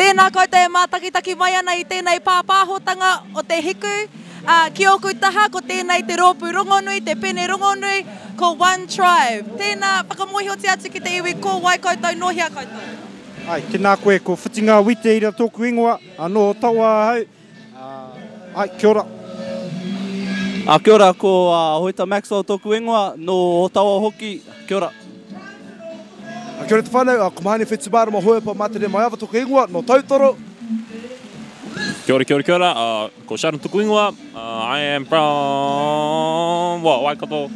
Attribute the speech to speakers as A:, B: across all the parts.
A: Tēnā koutou e mātakitaki mai ana i tēnei pāpāhotanga o Te Hiku. Ā, ki ōku taha, ko tēnei te rōpū rongonui, te pene rongonui, ko One Tribe. Tēnā, whakamōhiotia atu ki te iwi ko wai koutou, nō hea koutou?
B: Āe, tēnā koe, ko Whitinga Witeira tōku ingoa, ā, nō Otawa ahau. Āe, kia ora.
C: Ā, kia ora, ko Hoeta Maxwell tōku ingoa, nō Otawa hoki, kia ora.
D: Ā, kia ora te whānau, ko Mahani Whetumārama Hoepa Mātere Maiava tōku ingoa, nō Tautoro.
E: Kia ora, kia ora, kia ora, ko Sharon tōku ingoa, I am from, well, Waikato,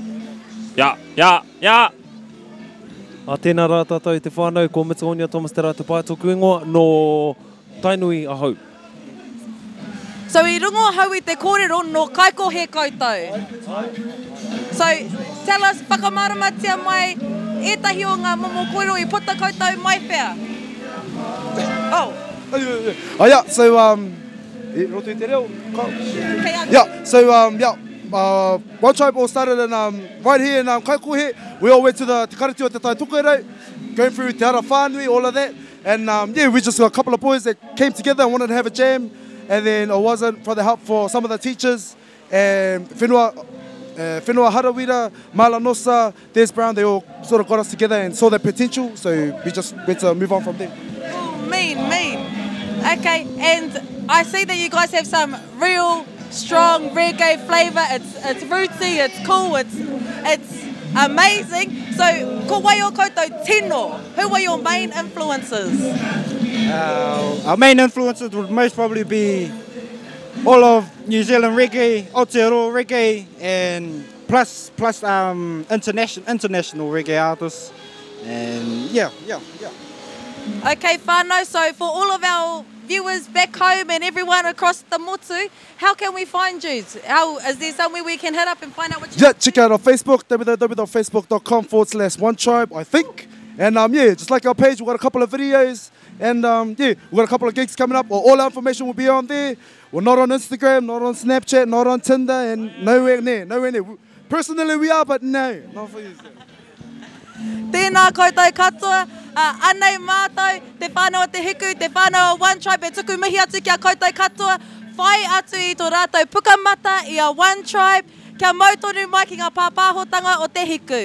E: yeah, yeah, yeah!
F: Ā, tēnā rā tātou e te whānau, ko Mitaonia Thomas Te Rātapae tōku ingoa, nō Tainui ahau.
A: So i rongo ahau i te kōrero nō Kaikohe koutou. So tell us, whakamāramatia mai ētahi o ngā momo kōrero i puta koutou mai whea? Oh.
D: Oh yeah, so um, i roto i te reo, ka...
A: Kei a koe.
D: Yeah, so um, yeah, uh, One Tribe all started in, um, right here in um, Kaikohe. We all went to the Te Karati o Te Tai Tokerau, going through Te Ara Whānui, all of that. And um, yeah, we just got a couple of boys that came together and wanted to have a jam. And then it wasn't for the help for some of the teachers and Whenua, uh, Whenua Harawira, Mala Nosa, Des Brown, they all sort of got us together and saw the potential. So we just went to move on from there.
A: Oh, mean, mean. Okay, and I see that you guys have some real strong reggae flavour. It's, it's rootsy, it's cool, it's, it's amazing. So, ko wai o koutou tino? Who are your main influences?
B: Uh, our main influences would most probably be all of New Zealand reggae, Aotearoa reggae, and plus plus um, international international reggae artists. And yeah, yeah, yeah.
A: Okay, whānau, so for all of our viewers back home and everyone across the motu, how can we find you? How, is there somewhere we can hit up and find out what you
D: Yeah, check out our Facebook, www.facebook.com forward slash one tribe, I think. And um, yeah, just like our page, we've got a couple of videos. And um, yeah, we've got a couple of gigs coming up. All our information will be on there. We're not on Instagram, not on Snapchat, not on Tinder, and nowhere near, nowhere near. Personally, we are, but no, not for you.
A: Tēnā koutou katoa, ā, anei mātou, te whānau o Te Hiku, te whānau o One Tribe e tuku mihi atu ki a koutou katoa, whai atu i tō rātou pukamata i a One Tribe, kia mau tonu mai ki ngā pāpāhotanga o Te Hiku.